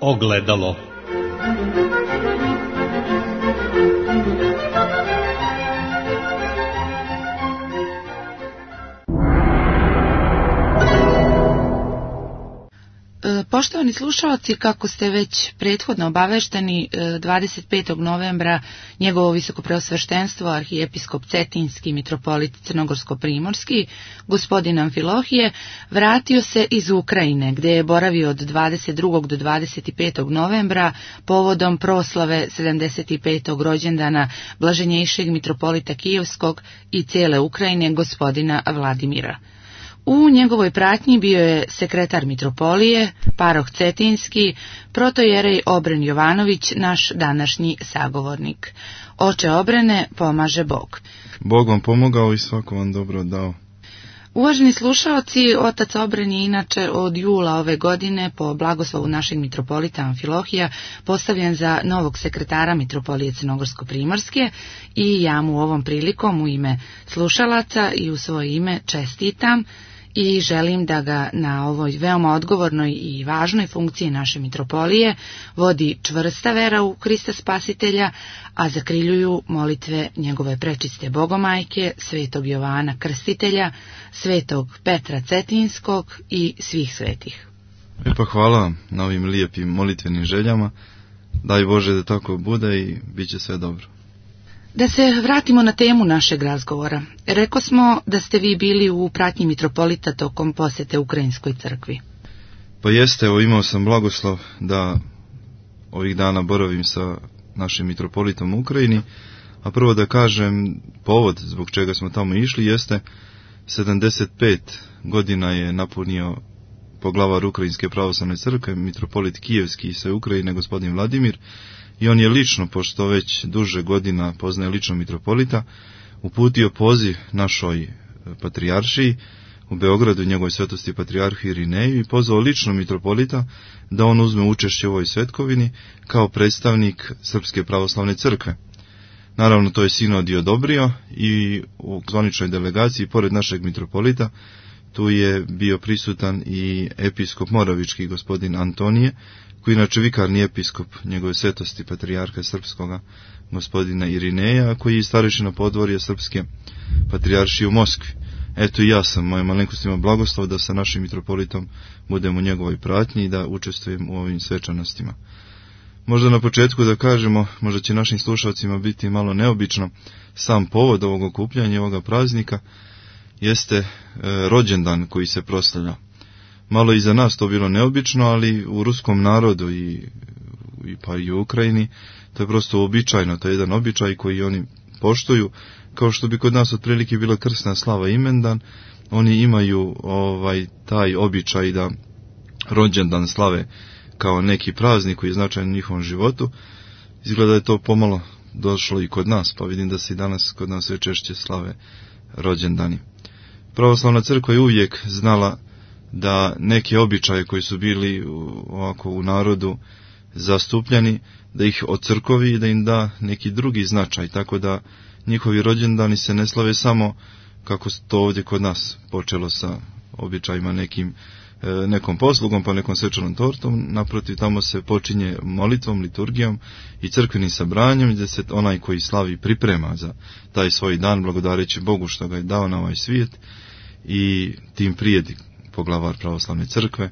Ogledalo. Poštovani slušalci, kako ste već prethodno obavešteni, 25. novembra njegovo visokopreosveštenstvo arhijepiskop Cetinski mitropolit Crnogorsko-primorski, gospodin Amfilohije, vratio se iz Ukrajine, gdje je boravio od 22. do 25. novembra povodom proslave 75. rođendana blaženjejšeg mitropolita Kijevskog i cijele Ukrajine, gospodina Vladimira. U njegovoj pratnji bio je sekretar mitropolije, paroh Cetinski, protojerej Obren Jovanović, naš današnji sagovornik. Oče Obrene, pomaže Bog. Bog vam pomogao i svako vam dobro dao. Uvaženi slušaoci, otac Obren je inače od jula ove godine po blagoslovu našeg mitropolita Amfilohija postavljen za novog sekretara mitropolije Crnogorsko-primorske i ja mu ovom prilikom u ime slušalaca i u svoje ime čestitam i želim da ga na ovoj veoma odgovornoj i važnoj funkciji naše mitropolije vodi čvrsta vera u Krista Spasitelja, a zakriljuju molitve njegove prečiste Bogomajke, svetog Jovana Krstitelja, svetog Petra Cetinskog i svih svetih. Pa hvala vam na ovim lijepim molitvenim željama. Daj Bože da tako bude i bit će sve dobro. Da se vratimo na temu našeg razgovora. Reko smo da ste vi bili u pratnji mitropolita tokom posjete Ukrajinskoj crkvi. Pa jeste, evo imao sam blagoslov da ovih dana boravim sa našim mitropolitom u Ukrajini, a prvo da kažem povod zbog čega smo tamo išli jeste 75 godina je napunio poglavar Ukrajinske pravoslavne crkve, mitropolit Kijevski i sve Ukrajine, gospodin Vladimir, i on je lično, pošto već duže godina poznaje lično mitropolita, uputio poziv našoj patrijaršiji u Beogradu, njegovoj svetosti patrijarhu Irineju, i pozvao lično mitropolita da on uzme učešće u ovoj svetkovini kao predstavnik Srpske pravoslavne crkve. Naravno, to je sinod i odobrio i u zvaničnoj delegaciji, pored našeg mitropolita, tu je bio prisutan i episkop Moravički, gospodin Antonije, koji inače vikarni episkop njegove svetosti patrijarha srpskoga, gospodina Irineja, koji je starešina podvorja Srpske patrijaršije u Moskvi. Eto i ja sam, moja malenkost ima blagoslov da sa našim mitropolitom budem u njegovoj pratnji i da učestvujem u ovim svečanostima. Možda na početku da kažemo, možda će našim slušalcima biti malo neobično, sam povod ovog okupljanja, ovoga praznika, jeste rođendan koji se proslavlja. Malo i za nas to bilo neobično, ali u ruskom narodu pa i u Ukrajini to je prosto uobičajeno, to je jedan običaj koji oni poštuju, kao što bi kod nas otprilike bila krsna slava imendan, oni imaju taj običaj da rođendan slave kao neki praznik koji je značajan u njihovom životu. Izgleda da je to pomalo došlo i kod nas, pa vidim da se i danas kod nas sve češće slave rođendani. Pravoslavna crkva je uvijek znala da neke običaje koji su bili ovako u narodu zastupljeni, da ih ocrkovi i da im da neki drugi značaj, tako da njihovi rođendani se ne slave samo kako to ovdje kod nas počelo sa običajima nekom poslugom pa nekom svečanom tortom. Naprotiv, tamo se počinje molitvom, liturgijom i crkvenim sabranjem, gdje se onaj koji slavi priprema za taj svoj dan, blagodareći Bogu što ga je dao na ovaj svijet, i tim prijedi poglavar pravoslavne crkve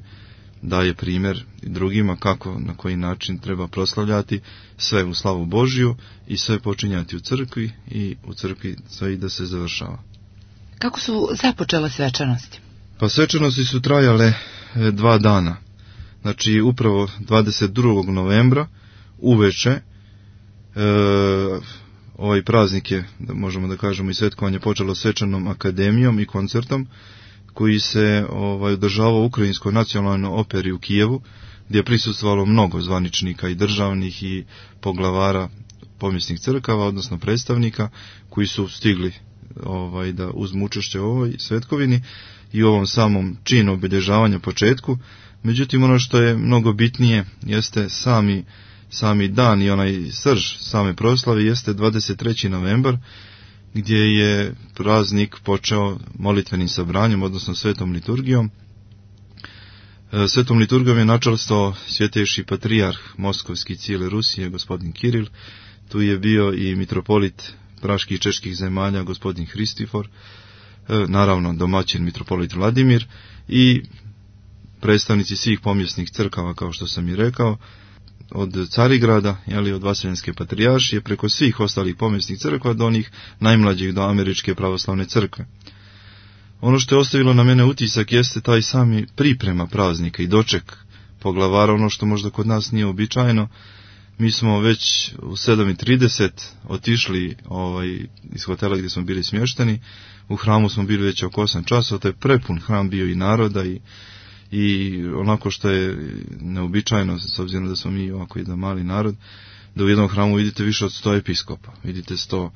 daje primjer drugima kako, na koji način treba proslavljati sve u slavu Božiju i sve počinjati u crkvi i u crkvi sve i da se završava. Kako su započele svečanosti? Pa svečanosti su trajale 2 dana. Znači upravo 22. novembra uveče ovaj praznik je, možemo da kažemo, i svetkovanje počelo svečanom akademijom i koncertom koji se održavao u Ukrajinskoj nacionalnoj operi u Kijevu, gdje je prisustvovalo mnogo zvaničnika i državnih i poglavara pomjesnih crkava, odnosno predstavnika koji su stigli da uzmu učešće u ovoj svetkovini i u ovom samom činu obilježavanja početku. Međutim, ono što je mnogo bitnije jeste sami dan i onaj srž same proslave jeste 23. novembar, gdje je praznik počeo molitvenim sabranjem, odnosno svetom liturgijom, Svetom liturgijom je načelstvo svjetejši patrijarh Moskovski cijele Rusije, gospodin Kiril. Tu je bio i mitropolit praških i čeških zemalja, gospodin Hristifor, naravno domaćin mitropolit Vladimir i predstavnici svih pomjesnih crkava, kao što sam i rekao, od Carigrada, od Vaseljenske patrijaršije, preko svih ostalih pomjesnih crkva do onih najmlađih, do Američke pravoslavne crkve. Ono što je ostavilo na mene utisak jeste taj sami priprema praznika i doček poglavara, ono što možda kod nas nije običajno. Mi smo već u 7:30 otišli iz hotela gdje smo bili smješteni. U hramu smo bili već oko 8 časova, to je prepun hram bio i naroda i onako što je neobičajno, s obzirom da smo mi ovako jedan mali narod, da u jednom hramu vidite više od 100 episkopa, vidite 100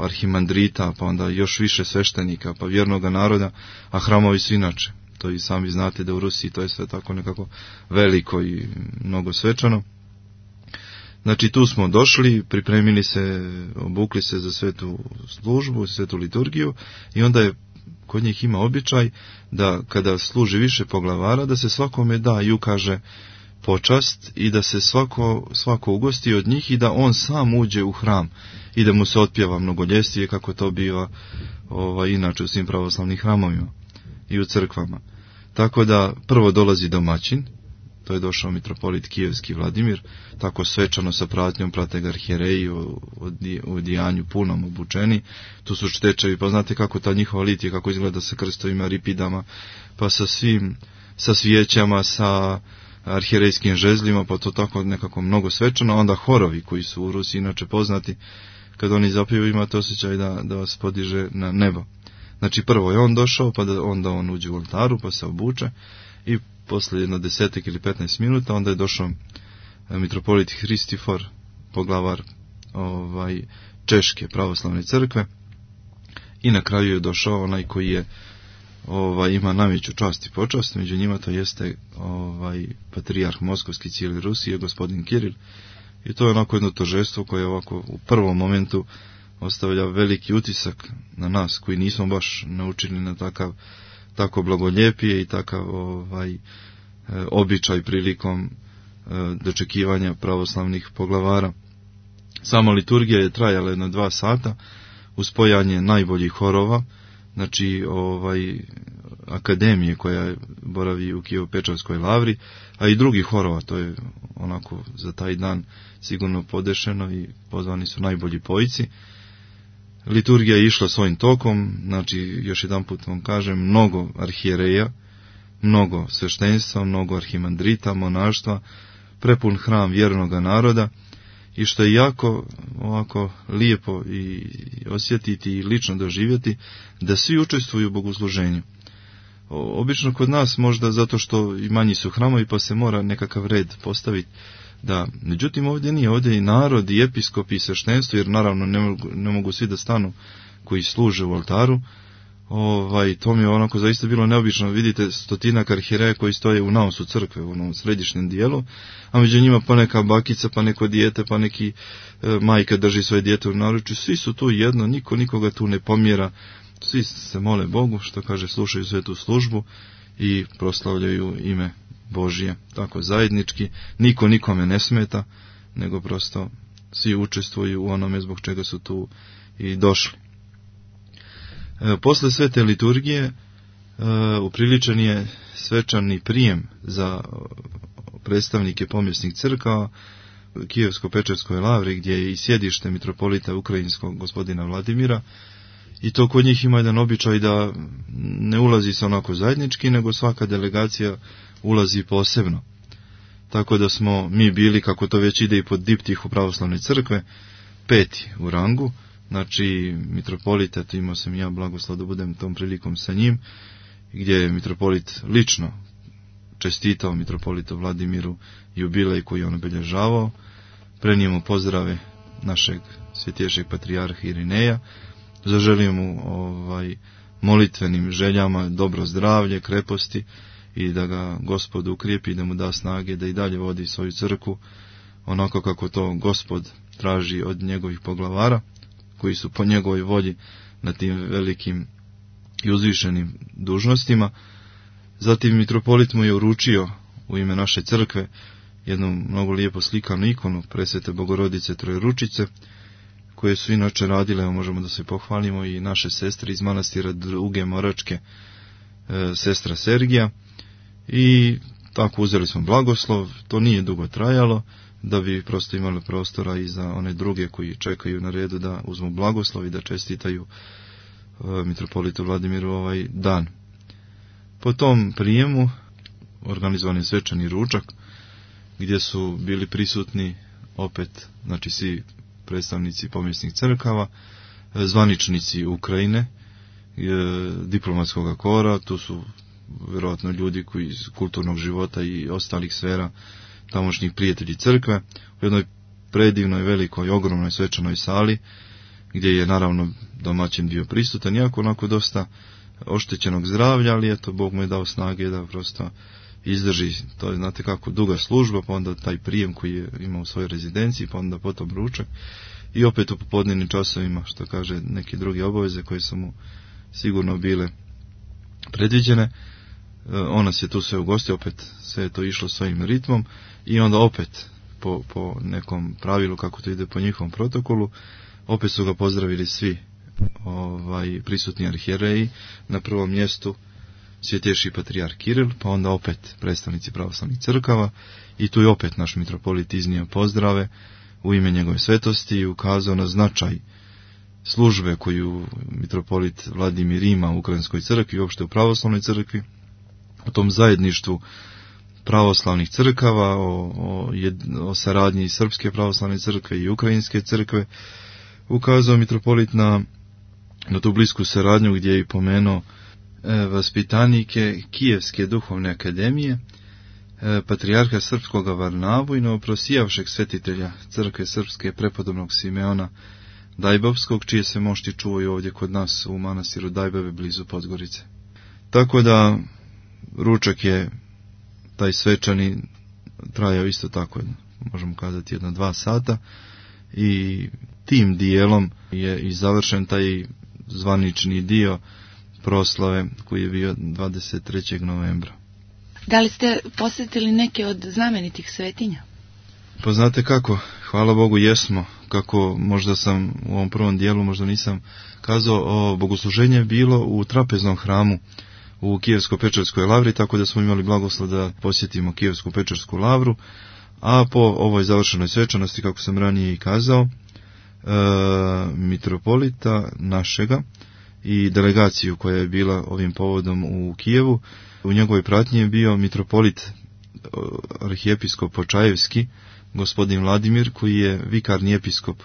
arhimandrita, pa onda još više sveštenika, pa vjernoga naroda, a hramovi su inače. To i sami znate da u Rusiji to je sve tako nekako veliko i mnogo svečano. Znači tu smo došli, pripremili se, obukli se za svetu službu, svetu liturgiju i onda je kod njih ima običaj da kada služi više poglavara, da se svakome da i ukaže počast i da se svako ugosti od njih i da on sam uđe u hram i da mu se otpjeva mnogoljestije kako to biva inače u svim pravoslavnim hramovima i u crkvama. Tako da prvo dolazi domaćin, to je došao mitropolit Kijevski Vladimir, tako svečano sa pratnjom, prate ga arhijereji u odijanju punom obučeni, tu su čtečevi, pa znate kako ta njihova litija, kako izgleda sa krstovima, ripidama, pa sa svijećama, sa arhijerejskim žezljima, pa to tako nekako mnogo svečano, onda horovi koji su u Rusiji inače poznati, kad oni zapiju imate osjećaj da vas podiže na nebo. Znači prvo je on došao, pa onda on uđe u oltaru, pa se obuče i posle jedno 10 ili 15 minuta onda je došao mitropolit Hristifor, poglavar Češke pravoslavne crkve i na kraju je došao onaj koji je ima najveću čast i počast, među njima to jeste patrijarh Moskovski cijele Rusije, gospodin Kiril, i to je onako jedno tožestvo koje ovako u prvom momentu ostavlja veliki utisak na nas koji nismo baš naučili na tako blagoljepije i takav običaj prilikom dočekivanja pravoslavnih poglavara. Sama liturgija je trajala jedno 2 sata uz spojanje najboljih horova, znači akademije koja boravi u Kijevo-Pečarskoj lavri, a i drugih horova, to je onako za taj dan sigurno podešeno i pozvani su najbolji pojci. Liturgija je išla svojim tokom, znači još jedan put vam kažem, mnogo arhijereja, mnogo sveštenstva, mnogo arhimandrita, monaštva, prepun hram vjernoga naroda i što je jako ovako lijepo i osjetiti i lično doživjeti da svi učestvuju u bogosluženju. Obično kod nas možda zato što i manji su hramovi pa se mora nekakav red postaviti. Da, međutim ovdje nije, ovdje i narod, i episkop, i sveštenstvo, jer naravno ne mogu svi da stanu koji služe u oltaru. To mi je onako zaista bilo neobično, vidite 100 arhijereja koji stoje u naosu crkve, u onom središnjem dijelu, a među njima pa neka bakica, pa neko dijete, pa neki majka drži svoje dijete u naručju, svi su tu jedno, niko nikoga tu ne pomjera, svi se mole Bogu, što kaže, slušaju svetu službu i proslavljaju ime Božije, tako zajednički, niko nikome ne smeta, nego prosto svi učestvuju u onome zbog čega su tu i došli. Posle svete liturgije upriličen je svečani prijem za predstavnike pomjesnih crkava Kijevsko-Pečarskoj lavri, gdje je i sjedište mitropolita ukrajinskog gospodina Vladimira, i to kod njih ima jedan običaj da ne ulazi se onako zajednički, nego svaka delegacija ulazi posebno. Tako da smo mi bili, kako to već ide i pod diptihu pravoslavne crkve, 5. u rangu, znači mitropolita, imao sam ja blagoslov da budem tom prilikom sa njim, gdje je mitropolit lično čestitao mitropolitu Vladimiru jubilej koji je on obilježavao, prenio mu pozdrave našeg svjetejšeg patrijarha Irineja, zaželio mu molitvenim željama dobro zdravlje, kreposti i da ga Gospod ukrijepi i da mu da snage da i dalje vodi svoju crkvu onako kako to Gospod traži od njegovih poglavara koji su po njegovoj volji na tim velikim i uzvišenim dužnostima. Zatim mitropolit mu je uručio u ime naše crkve jednu mnogo lijepo slikanu ikonu Presvete Bogorodice Trojeručice, koje su inače radile, možemo da se pohvalimo, i naše sestre iz manastira Duge Moračke, sestra Sergija, i tako uzeli smo blagoslov. To nije dugo trajalo, da bi prosto imali prostora i za one druge koji čekaju na redu da uzmu blagoslov i da čestitaju mitropolitu Vladimiru ovaj dan. Po tom prijemu organizovan je svečani ručak gdje su bili prisutni opet, znači svi predstavnici pomjesnih crkava, zvaničnici Ukrajine, diplomatskog kora, tu su vjerojatno ljudi koji iz kulturnog života i ostalih sfera, tamošnjih prijatelji crkve, u jednoj predivnoj, velikoj, ogromnoj svečanoj sali, gdje je naravno domaćin bio prisutan, iako onako dosta oštećenog zdravlja, ali eto, Bog mu je dao snage da prosto izdrži, to je, znate kako, duga služba, pa onda taj prijem koji je imao u svojoj rezidenciji, pa onda potom ručak, i opet u popodnevnim časovima, što kaže, neke druge obaveze koje su mu sigurno bile predviđene. On nas je tu sve ugostio, opet sve je to išlo svojim ritmom, i onda opet po nekom pravilu, kako to ide po njihovom protokolu, opet su ga pozdravili svi prisutni arhijereji, na prvom mjestu Svjetejši patrijarh Kiril, pa onda opet predstavnici pravoslavnih crkava, i tu je opet naš mitropolit iznio pozdrave u ime njegove svetosti i ukazao na značaj službe koju mitropolit Vladimir ima u Ukrajinskoj crkvi i uopšte u pravoslavnoj crkvi, o tom zajedništvu pravoslavnih crkava, o saradnji Srpske pravoslavne crkve i Ukrajinske crkve. Ukazao mitropolit na tu blisku saradnju, gdje je i pomenuo vaspitanike Kijevske duhovne akademije, patrijarha srpskog Varnavu i novoprosijavšeg svetitelja crkve srpske prepodobnog Simeona Dajbovskog, čije se mošti čuvaju ovdje kod nas u manastiru Dajbove blizu Podgorice. Tako da ručak je taj svečani trajao isto tako, možemo kazati, 1-2 sata, i tim dijelom je i završen taj zvanični dio proslave koji je bio 23. novembra. Da li ste posjetili neke od znamenitih svetinja? Pa znate kako, hvala Bogu jesmo, kako možda sam u ovom prvom dijelu, možda nisam kazao, bogosluženje je bilo u trapeznom hramu u Kijevsko-Pečerskoj lavri, tako da smo imali blagoslov da posjetimo Kijevsku-Pečersku lavru, a po ovoj završenoj svečanosti, kako sam ranije i kazao, mitropolita našega i delegaciju koja je bila ovim povodom u Kijevu, u njegovoj pratnji je bio mitropolit arhijepiskop Počajevski, gospodin Vladimir, koji je vikarni episkop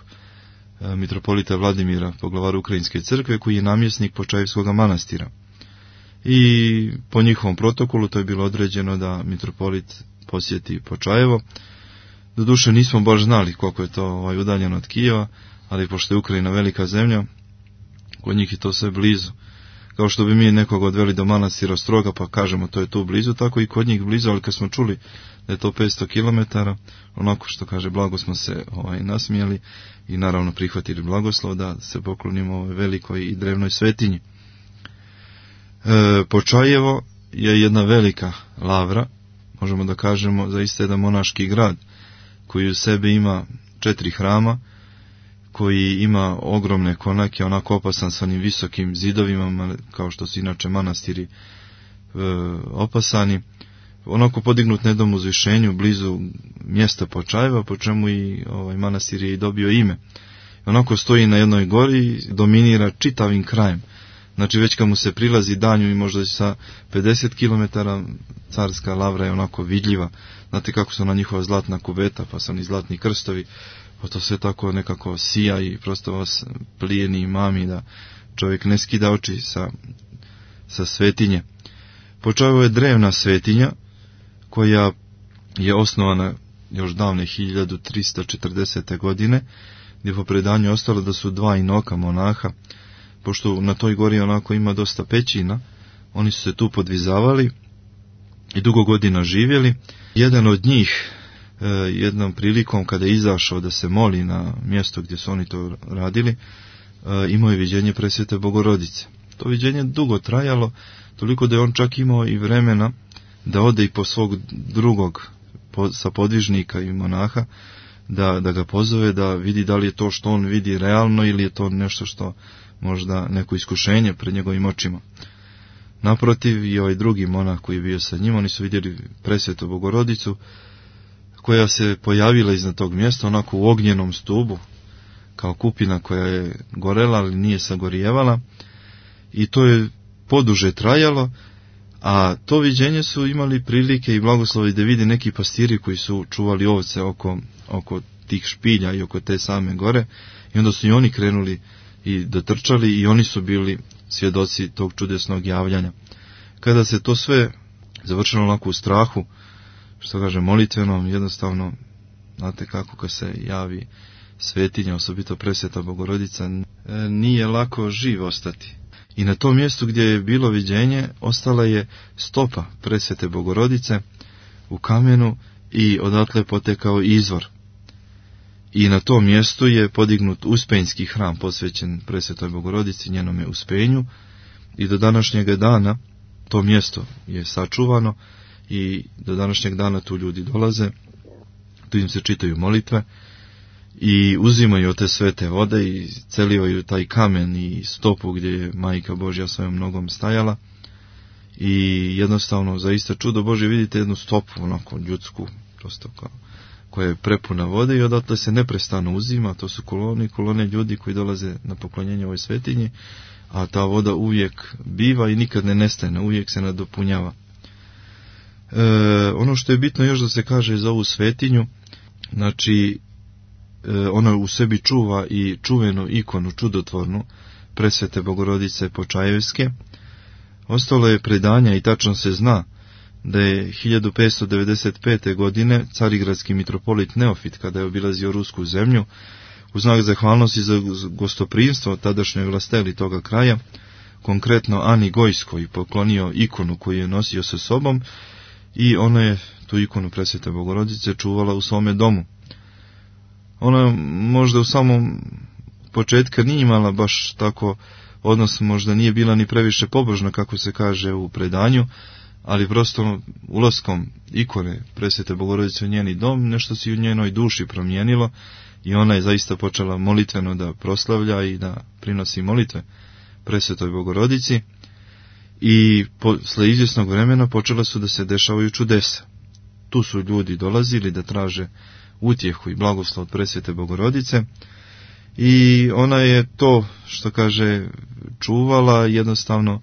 mitropolita Vladimira, poglavaru Ukrajinske crkve, koji je namjesnik Počajevskog manastira. I po njihovom protokolu to je bilo određeno da mitropolit posjeti Počajevo. Doduše nismo baš znali koliko je to udaljeno od Kijeva, ali pošto je Ukrajina velika zemlja, kod njih je to sve blizu. Kao što bi mi nekog odveli do manastira Ostroga, pa kažemo to je tu blizu, tako i kod njih blizu, ali kad smo čuli da je to 500 km, onako što kaže, blago smo se nasmijeli i naravno prihvatili blagoslov da se poklonimo ovoj velikoj i drevnoj svetinji. Počajevo je jedna velika lavra, možemo da kažemo zaista jedan monaški grad, koji u sebi ima 4 hrama, koji ima ogromne konake, onako opasan sa onim visokim zidovima, kao što su inače manastiri opasani, onako podignut na jednom uzvišenju blizu mjesta Počajeva, po čemu i manastir je i dobio ime. Onako stoji na jednoj gori, dominira čitavim krajem. Znači već kad mu se prilazi danju i možda sa 50 km carska lavra je onako vidljiva. Znate kako su na njihova zlatna kuveta, pa su oni zlatni krstovi, pa to sve tako nekako sija i prosto vas plijeni i mami da čovjek ne skida oči sa svetinje. Počajevo je drevna svetinja koja je osnovana još davne 1340. godine, gdje po predanju ostalo da su 2 inoka monaha, pošto na toj gori onako ima dosta pećina, oni su se tu podvizavali i dugo godina živjeli. Jedan od njih, jednom prilikom kada je izašao da se moli na mjesto gdje su oni to radili, imao je viđenje Presvete Bogorodice. to viđenje dugo trajalo, toliko da je on čak imao i vremena da ode i po svog drugog sapodvižnika i monaha, da ga pozove, da vidi da li je to što on vidi realno ili je to nešto što možda neko iskušenje pred njegovim očima. Naprotiv, i ovaj drugi monah koji je bio sa njim, oni su vidjeli presvetu Bogorodicu koja se pojavila iznad tog mjesta onako u ognjenom stubu, kao kupina koja je gorela, ali nije sagorijevala, i to je poduže trajalo, a to viđenje su imali prilike i blagoslovi da vide neki pastiri koji su čuvali ovce oko tih špilja i oko te same gore, i onda su i oni krenuli i dotrčali i oni su bili svjedoci tog čudesnog javljanja. Kada se to sve završilo onako u strahu, što kaže molitvenom, jednostavno, znate kako kad se javi svetinja, osobito presveta Bogorodica, nije lako živ ostati. I na tom mjestu gdje je bilo viđenje ostala je stopa presvete Bogorodice u kamenu i odatle potekao izvor. I na tom mjestu je podignut uspenjski hram posvećen presvetoj Bogorodici, njenome uspenju, i do današnjeg dana to mjesto je sačuvano i do današnjeg dana tu ljudi dolaze, tu im se čitaju molitve i uzimaju od te svete vode i celivaju taj kamen i stopu gdje je Majka Božja svojom nogom stajala, i jednostavno zaista čudo Božje, vidite jednu stopu onako ljudsku, prosto koja je prepuna vode, i odatle se neprestano uzima. To su kolone ljudi koji dolaze na poklonjenje ovoj svetinji, a ta voda uvijek biva i nikad ne nestane, uvijek se nadopunjava. Ono što je bitno još da se kaže za ovu svetinju, znači ona u sebi čuva i čuvenu ikonu čudotvornu presvete Bogorodice Počajevske. Ostalo je predanja i tačno se zna da je 1595. godine carigradski mitropolit Neofit, kada je obilazio rusku zemlju, u znak zahvalnosti za gostoprimstvo tadašnjoj vlasteli toga kraja, konkretno Ani Gojskoj, poklonio ikonu koju je nosio sa sobom, i ona je tu ikonu presvete Bogorodice čuvala u svome domu. Ona možda u samom početka nije imala baš tako odnos, možda nije bila ni previše pobožna, kako se kaže u predanju, ali prosto ulaskom ikone presvete Bogorodice u njeni dom nešto se u njenoj duši promijenilo i ona je zaista počela molitveno da proslavlja i da prinosi molitve presvetoj Bogorodici, i posle izvjesnog vremena počela su da se dešavaju čudesa. Tu su ljudi dolazili da traže utjehu i blagoslov od presvete Bogorodice, i ona je to, što kaže, čuvala, jednostavno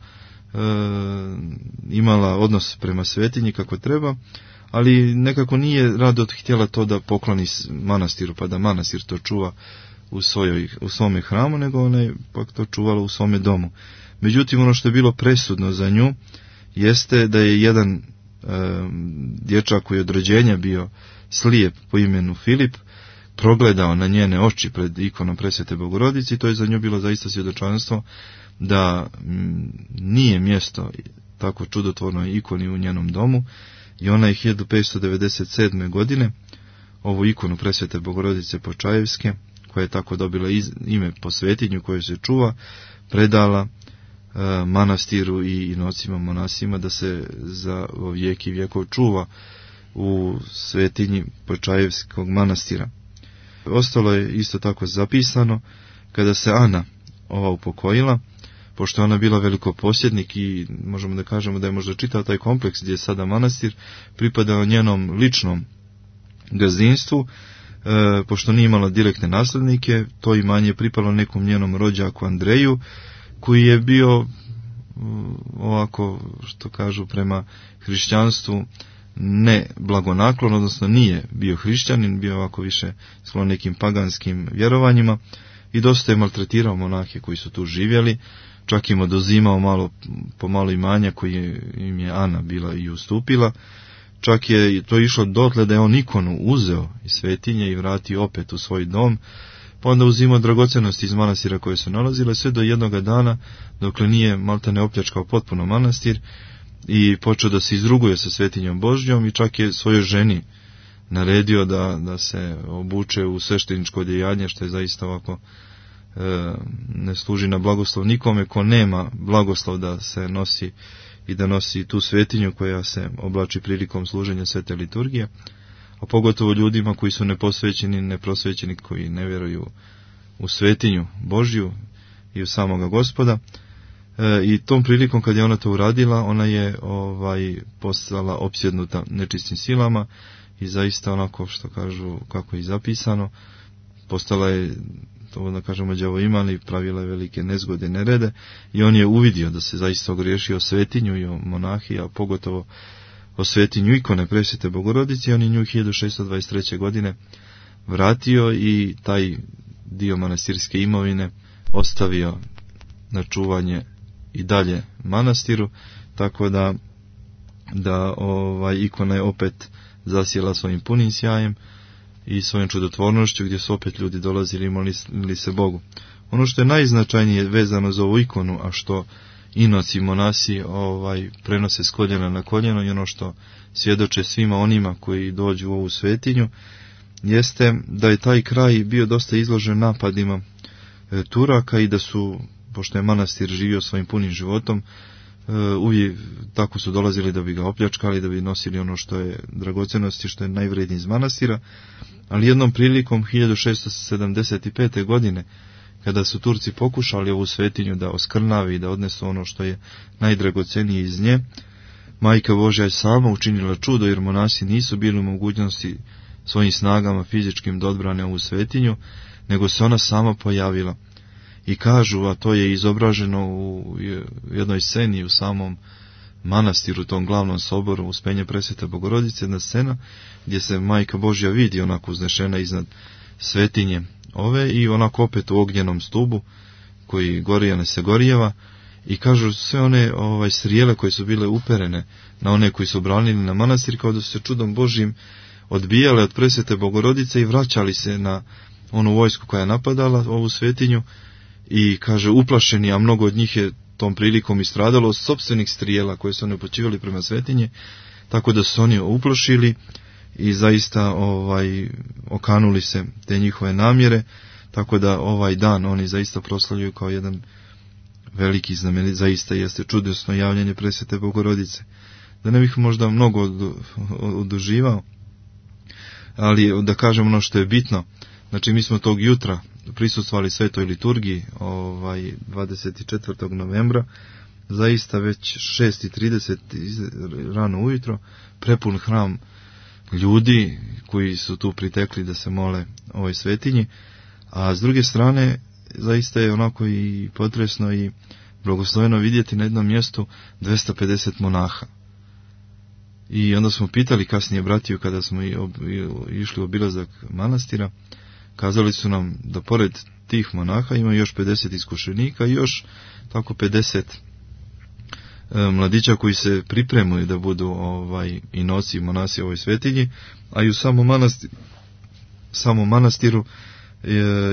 imala odnos prema svetinji kako treba, ali nekako nije rado htjela to da pokloni manastiru, pa da manastir to čuva u svome hramu, nego ona je pak to čuvala u svome domu. Međutim, ono što je bilo presudno za nju jeste da je jedan dječak koji je od rođenja bio slijep po imenu Filip progledao na njene oči pred ikonom presvete Bogorodice, i to je za nju bilo zaista svjedočanstvo da nije mjesto tako čudotvornoj ikoni u njenom domu, i ona je 1597. godine ovu ikonu presvete Bogorodice Počajevske, koja je tako dobila ime po svetinju koju se čuva, predala manastiru i inocima monasima da se za vijek i vjekov čuva u svetinji Počajevskog manastira. Ostalo je isto tako zapisano kada se Ana ova upokojila, pošto ona bila velikoposjednik i možemo da kažemo da je možda čitav taj kompleks gdje je sada manastir pripadao njenom ličnom gazdinstvu, pošto nije imala direktne naslednike, to imanje je pripalo nekom njenom rođaku Andreju, koji je bio ovako, što kažu, prema hrišćanstvu ne blagonaklon, odnosno nije bio hrišćanin, bio ovako više sklon nekim paganskim vjerovanjima, i dosta je maltretirao monahe koji su tu živjeli, čak im oduzimao po malo imanja koje im je Ana bila i ustupila. Čak je to išlo dotle da je on ikonu uzeo iz svetinje i vratio opet u svoj dom, pa onda uzimao dragocenosti iz manastira koje su nalazile, sve do jednoga dana, dokle nije maltene opljačkao potpuno manastir i počeo da se izruguje sa svetinjom Božjom, i čak je svojoj ženi naredio da se obuče u svešteničko odijanje, što je zaista ovako ne služi na blagoslov nikome ko nema blagoslov da se nosi i da nosi tu svetinju koja se oblači prilikom služenja svete liturgije, a pogotovo ljudima koji su neposvećeni, neprosvećeni, koji ne vjeruju u svetinju Božju i u samoga Gospoda. I tom prilikom kad je ona to uradila, ona je postala opsjednuta nečistim silama i zaista onako što kažu, kako je zapisano, postala je, to da kažemo, đavoimali, pravila je velike nezgode, nerede, i on je uvidio da se zaista ogriješio o svetinju i o monahiji, a pogotovo o svetinju ikone Presvete Bogorodice. On je nju 1623. godine vratio i taj dio manastirske imovine ostavio na čuvanje i dalje manastiru, tako da ikona je opet zasjela svojim punim sjajem i svojom čudotvornošću, gdje su opet ljudi dolazili i molili se Bogu. Ono što je najznačajnije vezano za ovu ikonu, a što inoci monasi prenose s koljena na koljeno i ono što svjedoče svima onima koji dođu u ovu svetinju, jeste da je taj kraj bio dosta izložen napadima Turaka i da su, pošto je manastir živio svojim punim životom, uvijek tako su dolazili da bi ga opljačkali, da bi nosili ono što je dragocenosti, što je najvrednije iz manastira. Ali jednom prilikom 1675. godine, kada su Turci pokušali ovu svetinju da oskrnavi i da odnesu ono što je najdragocenije iz nje, Majka Božja je sama učinila čudo, jer monasi nisu bili u mogućnosti svojim snagama fizičkim da odbrane ovu svetinju, nego se ona sama pojavila. I kažu, a to je izobraženo u jednoj sceni u samom manastiru, tom glavnom soboru Uspenje Presvete Bogorodice, jedna scena gdje se Majka Božja vidi onako uznešena iznad svetinje ove i onako opet u ognjenom stubu koji gorijane se gorijeva, i kažu sve one strijele koje su bile uperene na one koji su branili na manastir, kao da su se čudom Božjim odbijale od Presvete Bogorodice i vraćali se na onu vojsku koja je napadala ovu svetinju. I kaže, uplašeni, a mnogo od njih je tom prilikom istradalo od sopstvenih strijela koje su oni upućivali prema svetinje, tako da su oni uplašili i zaista okanuli se te njihove namjere, tako da ovaj dan oni zaista proslavljuju kao jedan veliki znamenit, zaista jeste čudesno javljanje Presvete Bogorodice. Da ne bih možda mnogo oduživao, ali da kažem ono što je bitno. Znači, mi smo tog jutra prisustvovali svetoj liturgiji 24. novembra, zaista već 6:30 rano ujutro, prepun hram ljudi koji su tu pritekli da se mole ovoj svetinji, a s druge strane zaista je onako i potresno i blagosloveno vidjeti na jednom mjestu 250 monaha. I onda smo pitali kasnije bratiju kada smo išli u obilazak manastira, kazali su nam da pored tih monaha ima još 50 iskušenika i još tako 50 mladića koji se pripremaju da budu i nosi monasi ovoj svetinji, a i u samom manastiru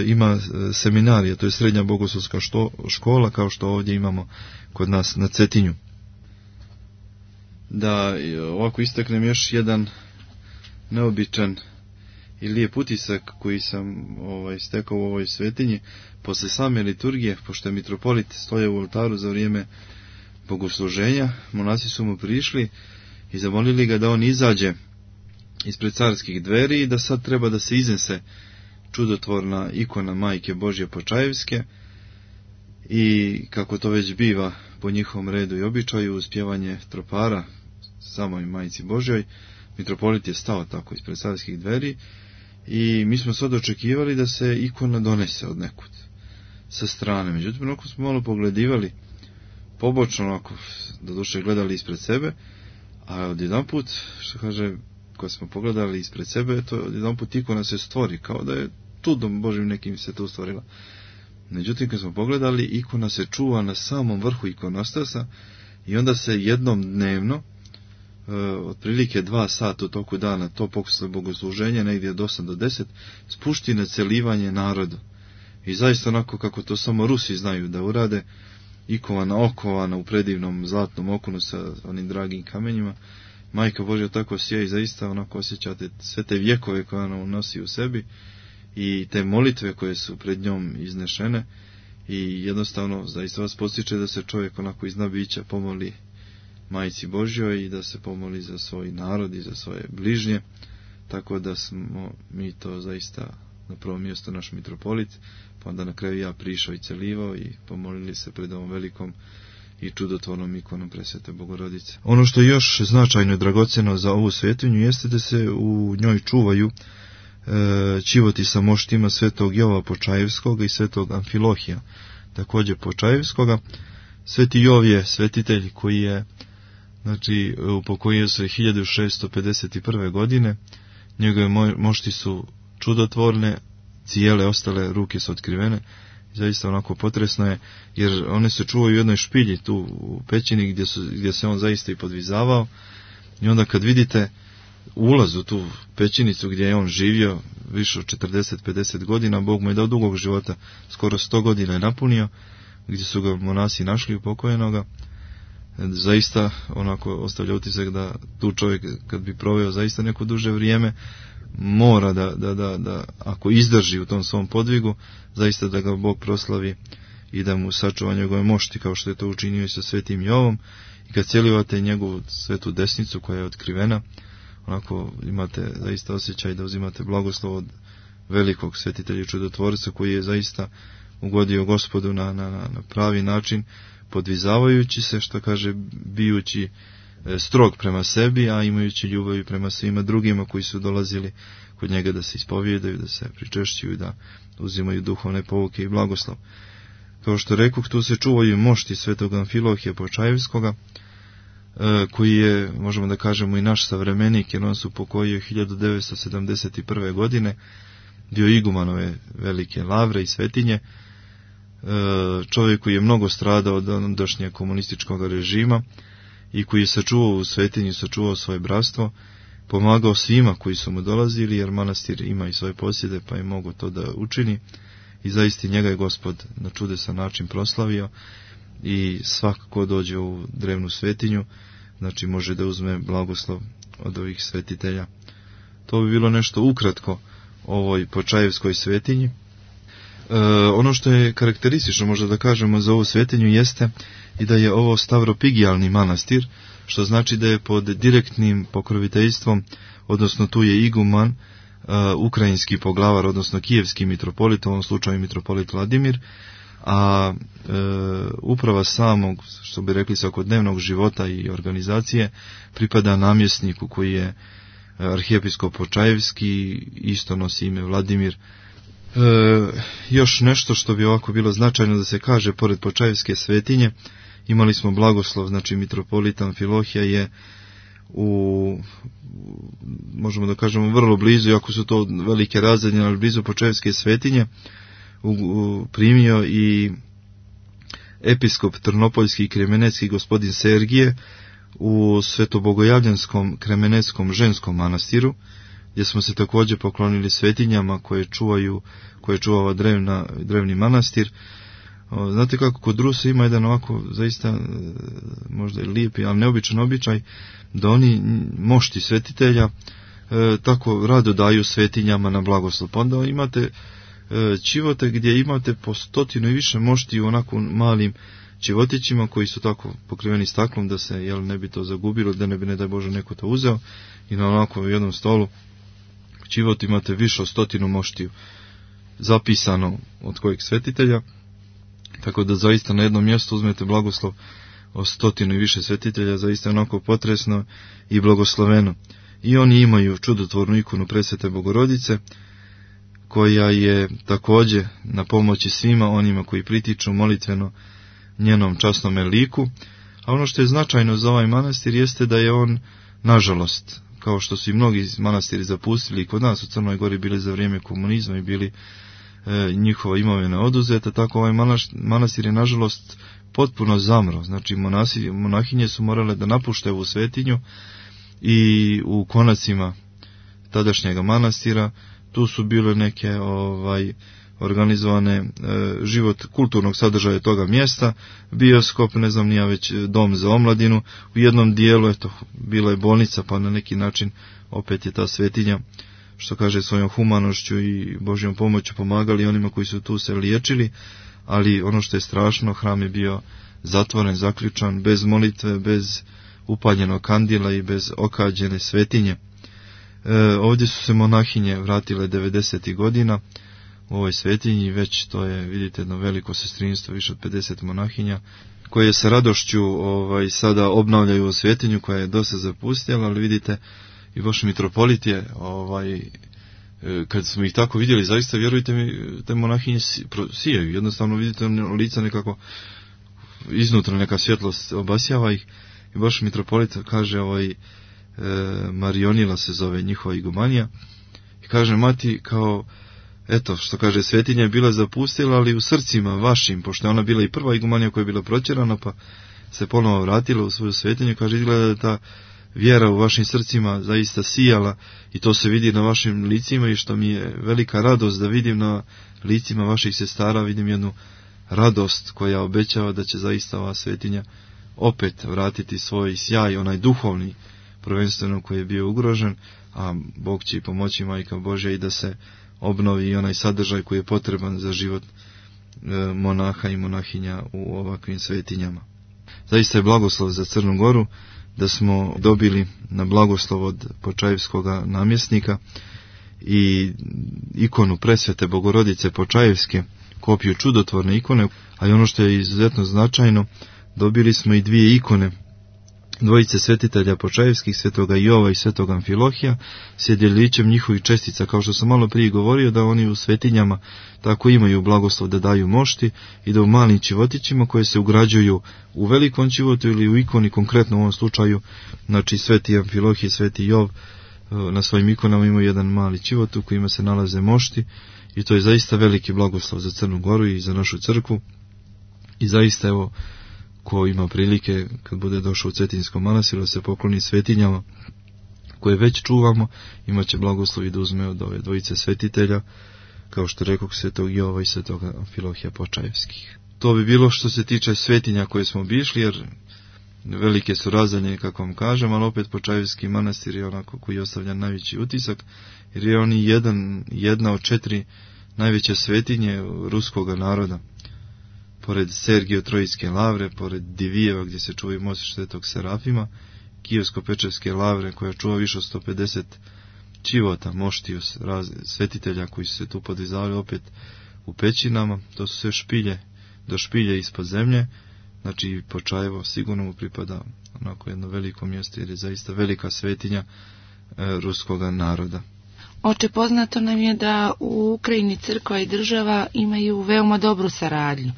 ima seminarija, to je srednja bogoslovska škola, kao što ovdje imamo kod nas na Cetinju. Da ovako istaknem još jedan neobičan i lijep utisak koji sam stekao u ovoj svetinji. Posle same liturgije, pošto je mitropolit stoja u oltaru za vrijeme bogosluženja, monasi su mu prišli i zamolili ga da on izađe ispred carskih dveri i da sad treba da se iznese čudotvorna ikona Majke Božje Počajevske, i kako to već biva po njihovom redu i običaju, uz pjevanje tropara samoj Majci Božjoj, mitropolit je stao tako ispred carskih dveri i mi smo sad očekivali da se ikona donese od nekud sa strane. Međutim, onako smo malo pogledivali pobočno, onako doduše gledali ispred sebe, a odjedanput, što kaže, kad smo pogledali ispred sebe, to odjedanput ikona se stvori, kao da je čudom Božim nekim se to stvorila. Međutim, kad smo pogledali, ikona se čuva na samom vrhu ikonostasa i onda se jednom dnevno, otprilike 2 sata u toku dana, to posle bogosluženja, negdje od 8 do 10, spušti na celivanje narodu. I zaista onako kako to samo Rusi znaju da urade, ikona okovana u predivnom zlatnom okonu sa onim dragim kamenjima, Majka Božja tako sije i zaista onako osjećate sve te vjekove koje ona nosi u sebi i te molitve koje su pred njom iznešene, i jednostavno zaista vas postiče da se čovjek onako iz bića pomoli Majci Božjoj i da se pomoli za svoj narod i za svoje bližnje, tako da smo mi to zaista na prvo mjesto naš mitropolit, pa onda na kraju ja prišao i celivao i pomolili se pred ovom velikom i čudotvornom ikonom Presvete Bogorodice. Ono što je još značajno i dragocjeno za ovu svetinju jeste da se u njoj čuvaju čivoti sa moštima svetog Jova Počajevskog i svetog Amfilohija, također Počajevskoga. Sveti Jov je svetitelj koji je, znači, upokojio se 1651. godine. Njegove mošti su čudotvorne, cijele, ostale ruke su otkrivene. Zaista onako potresno je, jer one se čuvaju u jednoj špilji tu u pećini gdje se on zaista i podvizavao. I onda kad vidite ulaz u tu pećinicu gdje je on živio više od 40-50 godina, Bog mu je dao dugog života, skoro 100 godina je napunio, gdje su ga monasi našli upokojenoga. Zaista onako ostavlja utisak da tu čovjek kad bi proveo zaista neko duže vrijeme, mora da ako izdrži u tom svom podvigu, zaista da ga Bog proslavi i da mu sačuva njegove mošti, kao što je to učinio i sa svetim Jovom. I kad celivate njegovu svetu desnicu koja je otkrivena, onako imate zaista osjećaj da uzimate blagoslov od velikog svetitelja i čudotvorca koji je zaista ugodio Gospodu na pravi način, podvizavajući se, što kaže, bijući strog prema sebi, a imajući ljubav prema svima drugima koji su dolazili kod njega da se ispovijedaju, da se pričešćuju, da uzimaju duhovne pouke i blagoslov. Kao što rekoh, tu se čuvaju mošti svetog Amfilohija Počajevskoga, koji je, možemo da kažemo, i naš savremenik, jer on se upokojio 1971. godine, bio igumanove velike lavre i svetinje, čovjek koji je mnogo stradao od ondašnjeg komunističkog režima i koji je sačuvao u svetinju, sačuvao svoje bratstvo, pomagao svima koji su mu dolazili, jer manastir ima i svoje posjede, pa je mogo to da učini, i zaista njega je Gospod na čudesan način proslavio. I svakako dođe u drevnu svetinju, znači može da uzme blagoslov od ovih svetitelja. To bi bilo nešto ukratko ovoj Počajevskoj svetinji. Ono što je karakteristično, možda da kažemo, za ovu svetinju jeste i da je ovo stavropigijalni manastir, što znači da je pod direktnim pokroviteljstvom, odnosno tu je iguman, ukrajinski poglavar, odnosno kijevski mitropolit, u ovom slučaju mitropolit Vladimir, a uprava samog, što bi rekli, svakodnevnog života i organizacije pripada namjesniku koji je arhijepiskop Počajevski, isto nosi ime Vladimir. Još nešto što bi ovako bilo značajno da se kaže, pored Počajevske svetinje imali smo blagoslov, znači mitropolita Amfilohija je možemo da kažemo vrlo blizu, iako su to velike razdaljine, ali blizu Počajevske svetinje primio i episkop Trnopoljski i Kremenecki gospodin Sergije u Svetobogojavljanskom Kremeneckom ženskom manastiru, gdje smo se također poklonili svetinjama koje čuva drevni manastir. Znate kako kod Rusa ima jedan ovako zaista možda i lijepi, ali neobičan običaj, da oni mošti svetitelja tako rado daju svetinjama na blagoslov. Pa onda imate čivote gdje imate po 100 i više mošti u onako malim čivotićima koji su tako pokriveni staklom da se ne bi to zagubilo, da ne bi, ne daj Bože, neko to uzeo, i na onako jednom stolu čivot imate više od 100 moštiju zapisano od kojeg svetitelja, tako da zaista na jednom mjestu uzmete blagoslov od 100 i više svetitelja, zaista je onako potresno i blagosloveno. I oni imaju čudotvornu ikonu Presvete Bogorodice, koja je također na pomoći svima onima koji pritiču molitveno njenom časnom liku. A ono što je značajno za ovaj manastir jeste da je on, nažalost, kao što su i mnogi manastiri zapustili kod nas u Crnoj Gori, bili za vrijeme komunizma i bili njihova imovina oduzeta, tako ovaj manastir je nažalost potpuno zamro. Znači monahinje su morale da napušte ovu svetinju i u konacima tadašnjega manastira tu su bile neke organizovane život kulturnog sadržaja toga mjesta, bioskop, ne znam nija već dom za omladinu, u jednom dijelu bila je bolnica, pa na neki način opet je ta svetinja, što kaže, svojom humanošću i Božjom pomoću pomagali onima koji su tu se liječili, ali ono što je strašno, hram je bio zatvoren, zaključan, bez molitve, bez upaljenog kandila i bez okađene svetinje. Ovdje su se monahinje vratile 90. godina u ovoj svetinji, već to je, vidite, jedno veliko sestrinstvo, više od 50 monahinja, koje se radošću sada obnavljaju u svetinju koja je dosta zapustjela, ali vidite, i vaš mitropolit je, kad smo ih tako vidjeli, zaista, vjerujte mi, te monahinje sijaju, jednostavno vidite lica nekako, iznutra neka svjetlost obasjava ih, i baš mitropolit kaže, Marionila se zove njihova igumanija, i kaže, mati, kao, eto, što kaže, svetinja je bila zapustila, ali u srcima vašim, pošto je ona bila i prva igumanija koja je bila protjerana, pa se ponovo vratila u svoju svetinju, kaže, izgleda da ta vjera u vašim srcima zaista sijala, i to se vidi na vašim licima, i što mi je velika radost da vidim na licima vaših sestara, vidim jednu radost koja obećava da će zaista ova svetinja opet vratiti svoj sjaj, onaj duhovni, prvenstveno koji je bio ugrožen, a Bog će i pomoći, Majka Božja, i da se obnovi i onaj sadržaj koji je potreban za život monaha i monahinja u ovakvim svetinjama. Zaista je blagoslov za Crnu Goru da smo dobili na blagoslov od Počajevskog namjesnika i ikonu Presvete Bogorodice Počajevske, kopiju čudotvorne ikone, ali ono što je izuzetno značajno, dobili smo i dvije ikone dvojice svetitelja Počajevskih, svetoga Jova i svetoga Amfilohija, s djelićem njihovih čestica, kao što sam malo prije govorio, da oni u svetinjama tako imaju blagoslov da daju mošti i da u malim ćivotićima koje se ugrađuju u velikom ćivotu ili u ikoni, konkretno u ovom slučaju, znači sveti Amfilohij i sveti Jov na svojim ikonama imaju jedan mali ćivot u kojima se nalaze mošti, i to je zaista veliki blagoslov za Crnu Goru i za našu crkvu. I zaista, evo, ko ima prilike kad bude došao u Cetinjskom manastiru da se pokloni svetinjama koje već čuvamo, imat će blagoslov i da uzme od ove dvojice svetitelja, kao što rekao, svetog Jova i svetog Amfilohija Počajevskih. To bi bilo što se tiče svetinja koje smo obišli, jer velike su razdaljine, kako vam kažem, ali opet Počajevski manastir je onako koji ostavlja najveći utisak, jer je on jedna od 4 najveće svetinje ruskoga naroda. Pored Sergio-Trojske lavre, pored Divijeva gdje se čuvaju mosti svetog Serafima, Kijevsko-Pečevske lavre koja čuva više od 150 čivota, moštiju svetitelja koji su se tu podizali opet u pećinama. To su sve špilje, do špilje ispod zemlje. Znači Počajevo sigurno mu pripada onako jedno veliko mjesto, jer je zaista velika svetinja ruskoga naroda. Oče, poznato nam je da u Ukrajini crkva i država imaju veoma dobru saradnju,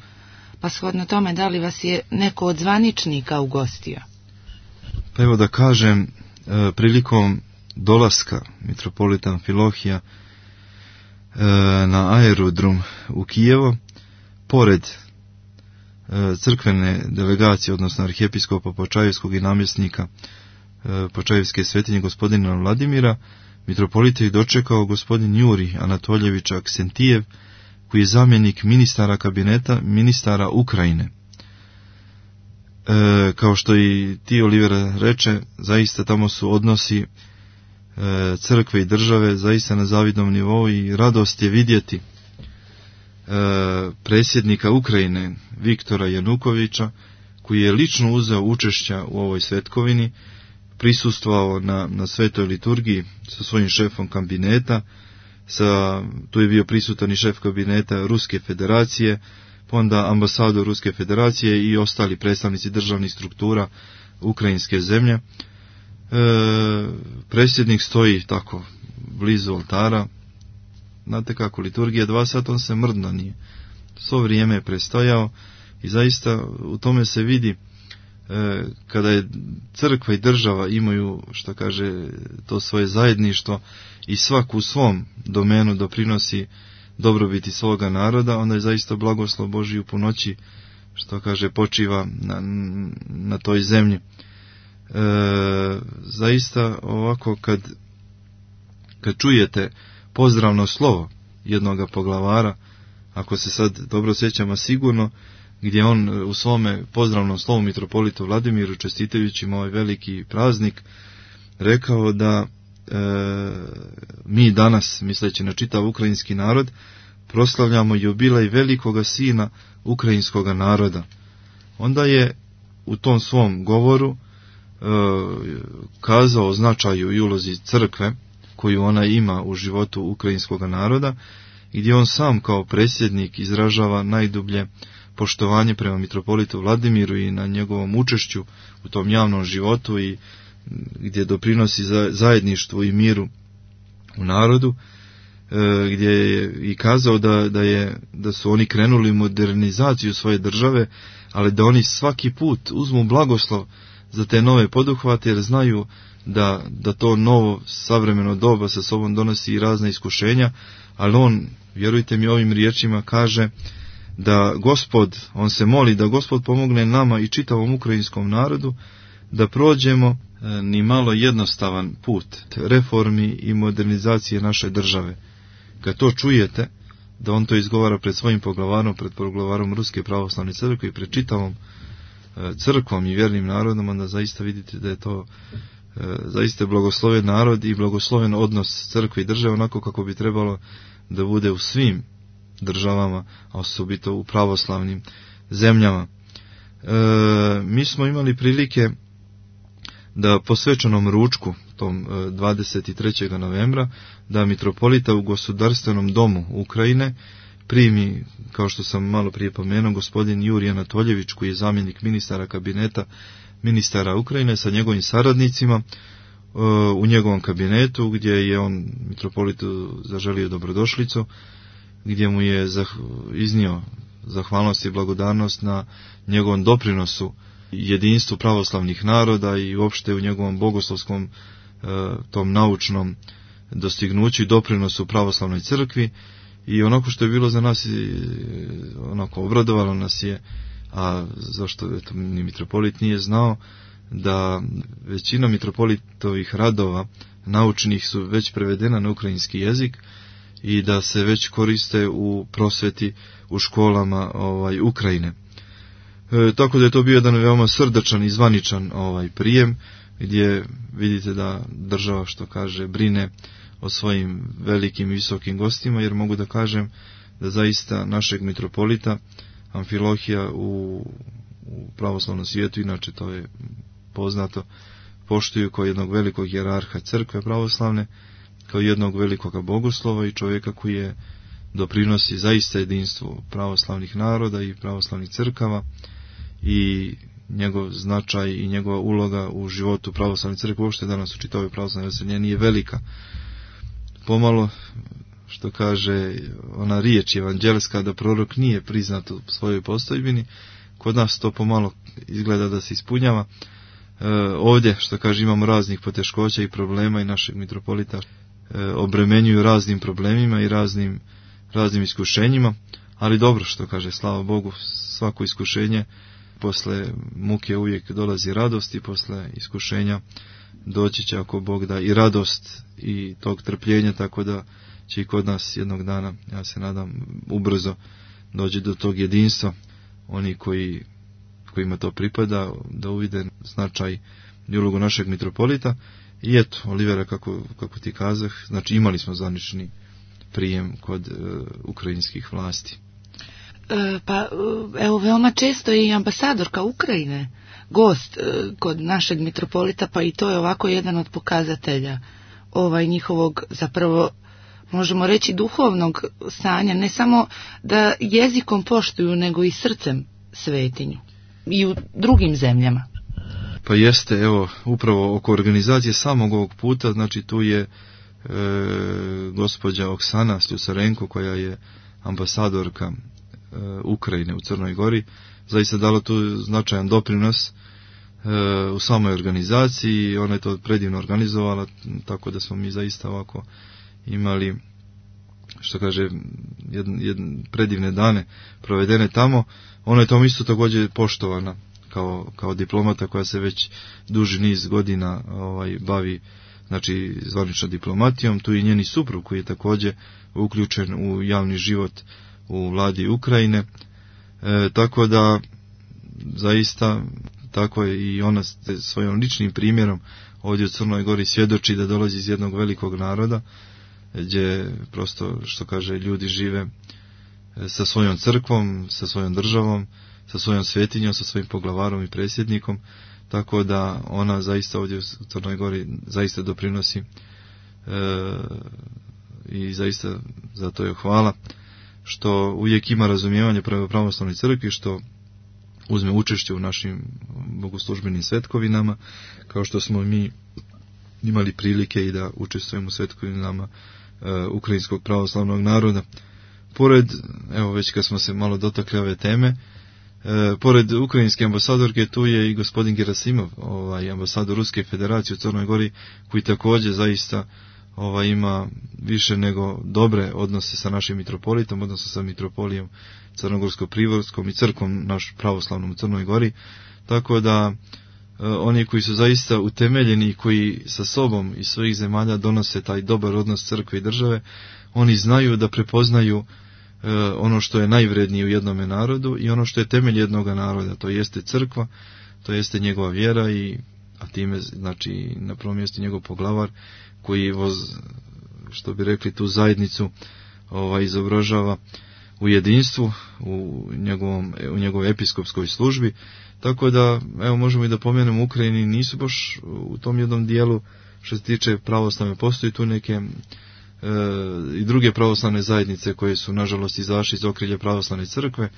pa shodno tome, da li vas je neko od zvaničnika ugostio? Pa evo da kažem, prilikom dolaska mitropolita Amfilohija na aerodrom u Kijevo, pored crkvene delegacije, odnosno arhijepiskopa Počajevskog i namjesnika Počajevske svetinje gospodina Vladimira, mitropolita je dočekao gospodin Juri Anatoljević Aksentijev, koji je zamjenik ministara kabineta ministara Ukrajine. Kao što i ti, Olivera, reče, zaista tamo su odnosi crkve i države zaista na zavidnom nivou, i radost je vidjeti predsjednika Ukrajine Viktora Janukovića, koji je lično uzeo učešća u ovoj svetkovini, prisustvovao na svetoj liturgiji sa svojim šefom kabineta, tu je bio prisutan i šef kabineta Ruske federacije, pa onda ambasador Ruske federacije i ostali predstavnici državnih struktura ukrajinske zemlje. Predsjednik stoji tako blizu oltara. Znate kako, liturgija 2 sata, on se mrdno nije. Svo vrijeme je prestojao, i zaista u tome se vidi kada je crkva i država imaju, što kaže, to svoje zajedništvo i svak u svom domenu doprinosi dobrobiti svoga naroda, onda je zaista blagoslov Božji u punoći, što kaže, počiva na toj zemlji. Zaista ovako kad čujete pozdravno slovo jednoga poglavara, ako se sad dobro sjećamo sigurno, gdje on u svome pozdravnom slovu mitropolitu Vladimiru, čestitajući mu ovaj veliki praznik, rekao da mi danas, misleći na čitav ukrajinski narod, proslavljamo jubilej velikoga sina ukrajinskoga naroda. Onda je u tom svom govoru kazao o značaju i ulozi crkve koju ona ima u životu ukrajinskog naroda, gdje on sam kao predsjednik izražava najdublje poštovanje prema mitropolitu Vladimiru i na njegovom učešću u tom javnom životu i gdje doprinosi zajedništvu i miru u narodu, gdje je i kazao da su oni krenuli u modernizaciju svoje države, ali da oni svaki put uzmu blagoslov za te nove poduhvate, jer znaju da to novo savremeno doba sa sobom donosi i razne iskušenja, ali on, vjerujte mi, ovim riječima kaže da on se moli da Gospod pomogne nama i čitavom ukrajinskom narodu da prođemo ni malo jednostavan put reformi i modernizacije naše države. Kad to čujete, da on to izgovara pred svojim poglavarom, pred poglavarom Ruske pravoslavne crkve i pred čitavom crkvom i vjernim narodom, onda zaista vidite da je to zaista blagosloven narod i blagosloven odnos crkve i države, onako kako bi trebalo da bude u svim državama, a osobito u pravoslavnim zemljama. Mi smo imali prilike da po svečanom ručku, tom 23. novembra, da mitropolita u Gospodarstvenom domu Ukrajine primi, kao što sam malo prije pomenuo, gospodin Jurij Anatoljević, koji je zamjenik ministara kabineta ministara Ukrajine sa njegovim saradnicima u njegovom kabinetu, gdje je on mitropolitu zaželio dobrodošlicu, gdje mu je iznio zahvalnost i blagodarnost na njegovom doprinosu jedinstvu pravoslavnih naroda i uopšte u njegovom bogoslovskom tom naučnom dostignuću i doprinosu pravoslavnoj crkvi. I onako što je bilo za nas, onako obradovalo nas je, a zašto ni mitropolit nije znao, da većina mitropolitovih radova naučnih su već prevedena na ukrajinski jezik i da se već koriste u prosveti u školama Ukrajine. Tako da je to bio jedan veoma srdačan i zvaničan prijem, gdje vidite da država, što kaže, brine o svojim velikim i visokim gostima, jer mogu da kažem da zaista našeg mitropolita Amfilohija u pravoslavnom svijetu, inače to je poznato, poštuju kao jednog velikog hijerarha crkve pravoslavne, kao jednog velikog bogoslova i čovjeka koji je doprinosi zaista jedinstvu pravoslavnih naroda i pravoslavnih crkava, i njegov značaj i njegova uloga u životu pravoslavne crkve uopšte danas u čitavoj pravoslavnoj veselje nije velika. Pomalo, što kaže ona riječ evanđelska, da prorok nije priznat u svojoj postojbini, kod nas to pomalo izgleda da se ispunjava. Ovdje, što kaže, imamo raznih poteškoća i problema i našeg mitropolita obremenjuju raznim problemima i raznim iskušenjima, ali dobro, što kaže, slava Bogu, svako iskušenje, posle muke uvijek dolazi radost i posle iskušenja doći će, ako Bog da, i radost i tog trpljenja, tako da će i kod nas jednog dana, ja se nadam, ubrzo doći do tog jedinstva, oni kojima to pripada, da uvide značaj i ulogu našeg mitropolita. I eto, Olivera, kako ti kazah, znači imali smo zvanični prijem kod ukrajinskih vlasti. Pa evo, veoma često je i ambasadorka Ukrajine gost kod našeg mitropolita, pa i to je ovako jedan od pokazatelja njihovog, zapravo možemo reći, duhovnog stanja, ne samo da jezikom poštuju, nego i srcem svetinju i u drugim zemljama. Pa jeste, evo, upravo oko organizacije samog ovog puta, znači tu je gospođa Oksana Sljusarenko, koja je ambasadorka Ukrajine u Crnoj Gori, zaista dala tu značajan doprinos u samoj organizaciji. Ona je to predivno organizovala, tako da smo mi zaista ovako imali, što kaže, predivne dane provedene tamo. Ona je tom isto također poštovana kao diplomata koja se već duži niz godina bavi, znači, zvaničnom diplomatijom. Tu i njeni suprug koji je također uključen u javni život u vladi Ukrajine, tako da zaista tako je i ona svojim ličnim primjerom ovdje u Crnoj Gori svjedoči da dolazi iz jednog velikog naroda, gdje prosto, što kaže, ljudi žive sa svojom crkvom, sa svojom državom, sa svojom svetinjom, sa svojim poglavarom i predsjednikom, tako da ona zaista ovdje u Crnoj Gori zaista doprinosi i zaista zato je hvala što uvijek ima razumijevanje prema pravoslavnoj crkvi, što uzme učešće u našim bogoslužbenim svetkovinama, kao što smo mi imali prilike i da učestvujemo u svetkovinama ukrajinskog pravoslavnog naroda. Pored, evo već kad smo se malo dotakli ove teme, pored ukrajinske ambasadorke tu je i gospodin Gerasimov, ambasador Ruske federacije u Crnoj Gori, koji također zaista ima više nego dobre odnose sa našim mitropolitom, odnosno sa mitropolijom Crnogorsko-Privorskom i crkvom naš pravoslavnom u Crnoj Gori, tako da oni koji su zaista utemeljeni i koji sa sobom iz svojih zemalja donose taj dobar odnos crkve i države, oni znaju da prepoznaju ono što je najvrednije u jednome narodu i ono što je temelj jednog naroda, to jeste crkva, to jeste njegova vjera, a time znači na prvom mjestu njegov poglavar koji što bi rekli tu zajednicu izobražava u jedinstvu, u njegovoj episkopskoj službi, tako da evo možemo i da pomenemo u Ukrajini nisu baš u tom jednom dijelu što se tiče pravoslavne, postoji tu neke i druge pravoslavne zajednice koje su nažalost izašli iz okrilja pravoslavne crkve,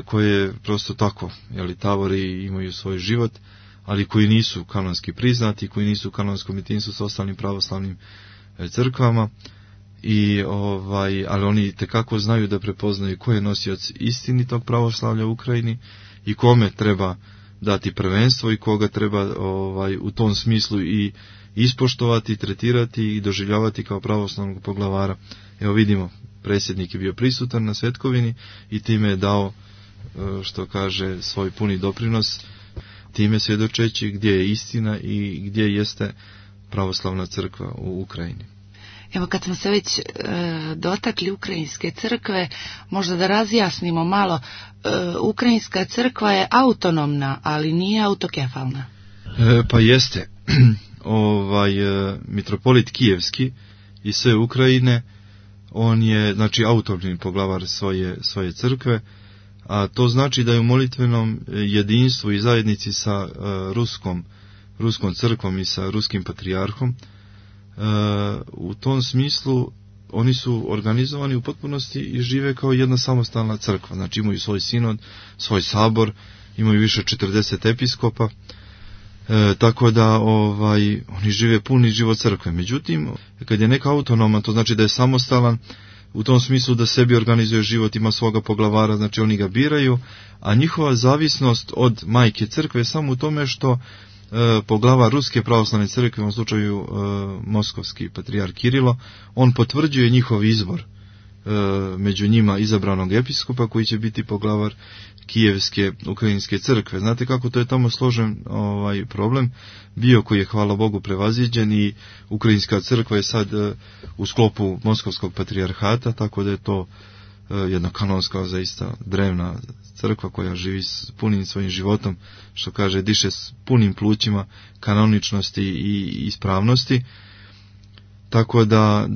koje prosto tako tavori i imaju svoj život, ali koji nisu kanonski priznati, koji nisu u kanonskom jedinstvu s ostalim pravoslavnim crkvama, ali oni tekako znaju da prepoznaju ko je nosioc istinitog pravoslavlja u Ukrajini i kome treba dati prvenstvo i koga treba u tom smislu i ispoštovati, tretirati i doživljavati kao pravoslavnog poglavara. Evo vidimo, predsjednik je bio prisutan na svetkovini i time je dao, što kaže, svoj puni doprinos, time svjedočeći gdje je istina i gdje jeste pravoslavna crkva u Ukrajini. Evo kad smo se već dotakli ukrajinske crkve, možda da razjasnimo malo, ukrajinska crkva je autonomna, ali nije autokefalna. Pa jeste. Mitropolit Kijevski iz sve Ukrajine, on je znači autonomni poglavar svoje crkve, a to znači da je u molitvenom jedinstvu i zajednici sa ruskom crkvom i sa ruskim patrijarhom. U tom smislu oni su organizovani u potpunosti i žive kao jedna samostalna crkva, znači imaju svoj sinod, svoj sabor, imaju više 40 episkopa, tako da oni žive puni život crkve. Međutim, kad je neka autonoma, to znači da je samostalan, u tom smislu da sebi organizuje život, ima svoga poglavara, znači oni ga biraju, a njihova zavisnost od majke crkve je samo u tome što poglavar Ruske pravoslavne crkve, u ovom slučaju moskovski patrijarh Kirilo, on potvrđuje njihov izbor među njima izabranog episkopa koji će biti poglavar Kijevske ukrajinske crkve. Znate kako to je tamo složen problem bio, koji je hvala Bogu prevaziđen, i ukrajinska crkva je sad u sklopu moskovskog patrijarhata, tako da je to jedna kanonska, zaista drevna crkva koja živi s punim svojim životom, što kaže, diše s punim plućima kanoničnosti i ispravnosti. Tako da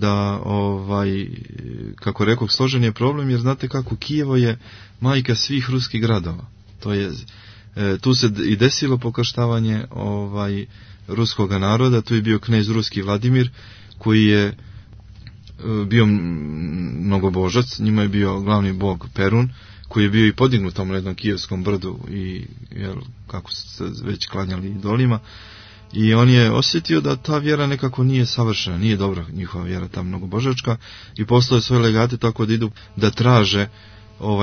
kako rekao, složen je problem, jer znate kako, Kijevo je majka svih ruskih gradova. To je, tu se i desilo pokrštavanje ruskoga naroda, tu je bio knez ruski Vladimir, koji je bio mnogobožac, njima je bio glavni bog Perun, koji je bio i podignut tamo na jednom kijevskom brdu i kako su se već klanjali idolima, i on je osjetio da ta vjera nekako nije savršena, nije dobra njihova vjera, ta mnogobožačka, i poslao je svoje legate tako da idu da traže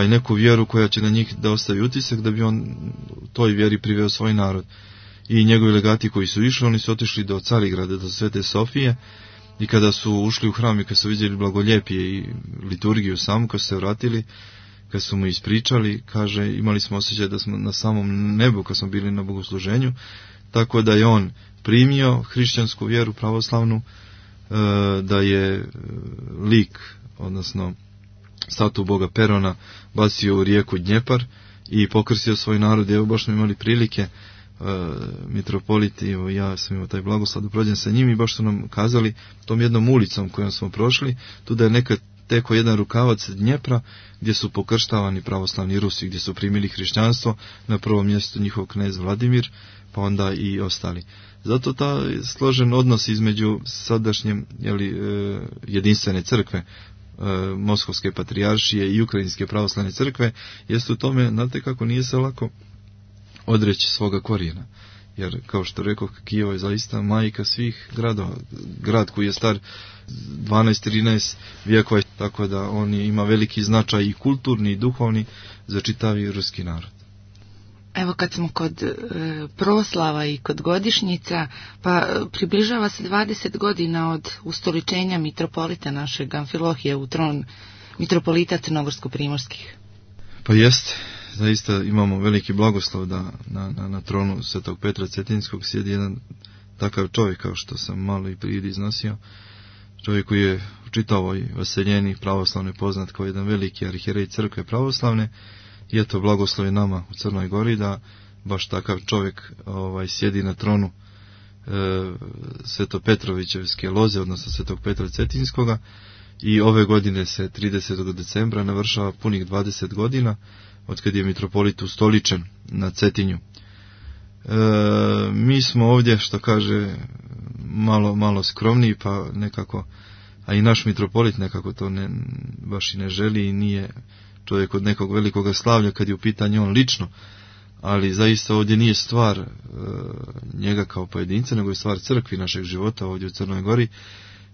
neku vjeru koja će na njih da ostavi utisak, da bi on toj vjeri priveo svoj narod. I njegovi legati koji su išli, oni su otišli do Carigrada, do Svete Sofije, i kada su ušli u hram i kad su vidjeli blagoljepije i liturgiju samu, kad su se vratili, kad su mu ispričali, kaže, imali smo osjećaj da smo na samom nebu kad smo bili na bogosluženju, tako da je on primio hrišćansku vjeru pravoslavnu, da je lik, odnosno statu boga Perona, bacio u rijeku Dnjepar i pokrstio svoj narod. Evo baš smo imali prilike, mitropoliti, evo ja sam imao taj blagoslov da prođem sa njim i baš su nam kazali tom jednom ulicom kojom smo prošli, tu da je nekad teko jedan rukavac Dnjepra gdje su pokrštavani pravoslavni Rusi, gdje su primili hrišćanstvo, na prvom mjestu njihov knez Vladimir, pa onda i ostali. Zato ta složen odnos između sadašnje jedinstvene crkve, Moskovske patrijaršije i Ukrajinske pravoslavne crkve, jest u tome, znate kako nije se lako odreći svoga korijena. Jer, kao što rekao, Kijevo je zaista majka svih gradova. Grad koji je star 12-13 vijekova, tako da on ima veliki značaj i kulturni i duhovni za čitavi ruski narod. Evo kad smo kod proslava i kod godišnjica, pa približava se 20 godina od ustoličenja mitropolita našeg Amfilohije u tron mitropolita Crnogorsko-primorskih. Pa jest, zaista imamo veliki blagoslov da na tronu Svetog Petra Cetinskog sjedi jedan takav čovjek, kao što sam malo i prije iznosio, čovjek koji je u čitavoj vaseljeni pravoslavne poznat kao jedan veliki arhijerej crkve pravoslavne. I eto, blagoslov je nama u Crnoj Gori da baš takav čovjek sjedi na tronu Svetopetrovićevske loze, odnosno Svetog Petra Cetinskoga, i ove godine se 30. decembra navršava punih 20 godina od kad je mitropolit ustoličen na Cetinju. Mi smo ovdje, što kaže, malo skromniji, pa nekako, a i naš mitropolit nekako to baš i ne želi i nije čovjek od nekog velikog slavlja kad je u pitanju on lično, ali zaista ovdje nije stvar njega kao pojedinca, nego je stvar crkvi našeg života ovdje u Crnoj Gori,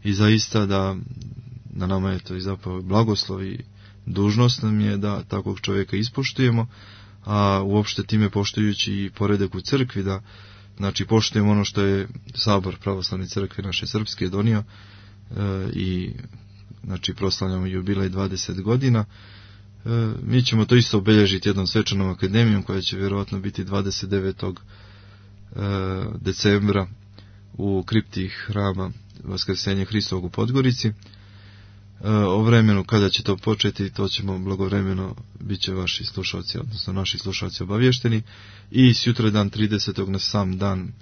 i zaista da na nama je to i zapravo blagoslov i dužnost nam je da takvog čovjeka ispoštujemo, a uopšte time poštujući i poredak u crkvi, da znači poštujemo ono što je Sabor pravoslavne crkve naše srpske donio, i znači proslavljamo jubilej 20 godina. Mi ćemo to isto obilježiti jednom svečanom akademijom koja će vjerojatno biti 29. decembra u kripti hrama Vaskrsenja Hristovog u Podgorici. O vremenu kada će to početi, to ćemo blagovremeno, bit će vaši slušalci, odnosno naši slušalci obavješteni, i sutradan 30. na sam dan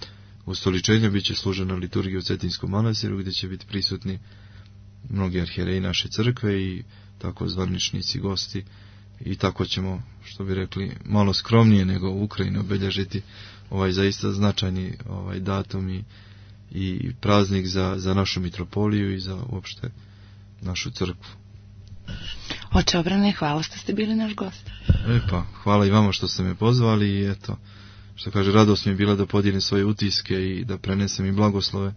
ustoličenja bit će služena liturgija u Cetinskom manastiru, gdje će biti prisutni mnogi arhijereji naše crkve i tako zvaničnici, gosti, i tako ćemo, što bi rekli, malo skromnije nego u Ukrajini obilježiti ovaj zaista značajni datum i praznik za našu mitropoliju i za uopšte našu crkvu. Oče Obrane, hvala što ste bili naš gost. Pa, hvala i vama što ste me pozvali i eto, što kaže, radost mi je bila da podijelim svoje utiske i da prenesem i blagoslove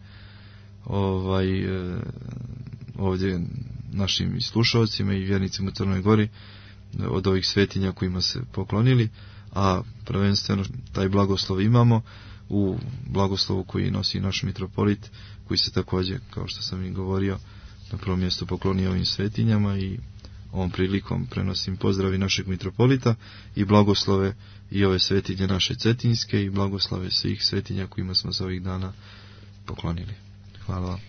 ovdje našim slušalcima i vjernicima u Crnoj Gori od ovih svetinja kojima se poklonili, a prvenstveno taj blagoslov imamo u blagoslovu koji nosi naš mitropolit, koji se također, kao što sam i govorio, na prvom mjestu poklonio ovim svetinjama, i ovom prilikom prenosim pozdravi našeg mitropolita i blagoslove i ove svetinje naše cetinske i blagoslove svih svetinja kojima smo se ovih dana poklonili. Hvala vam.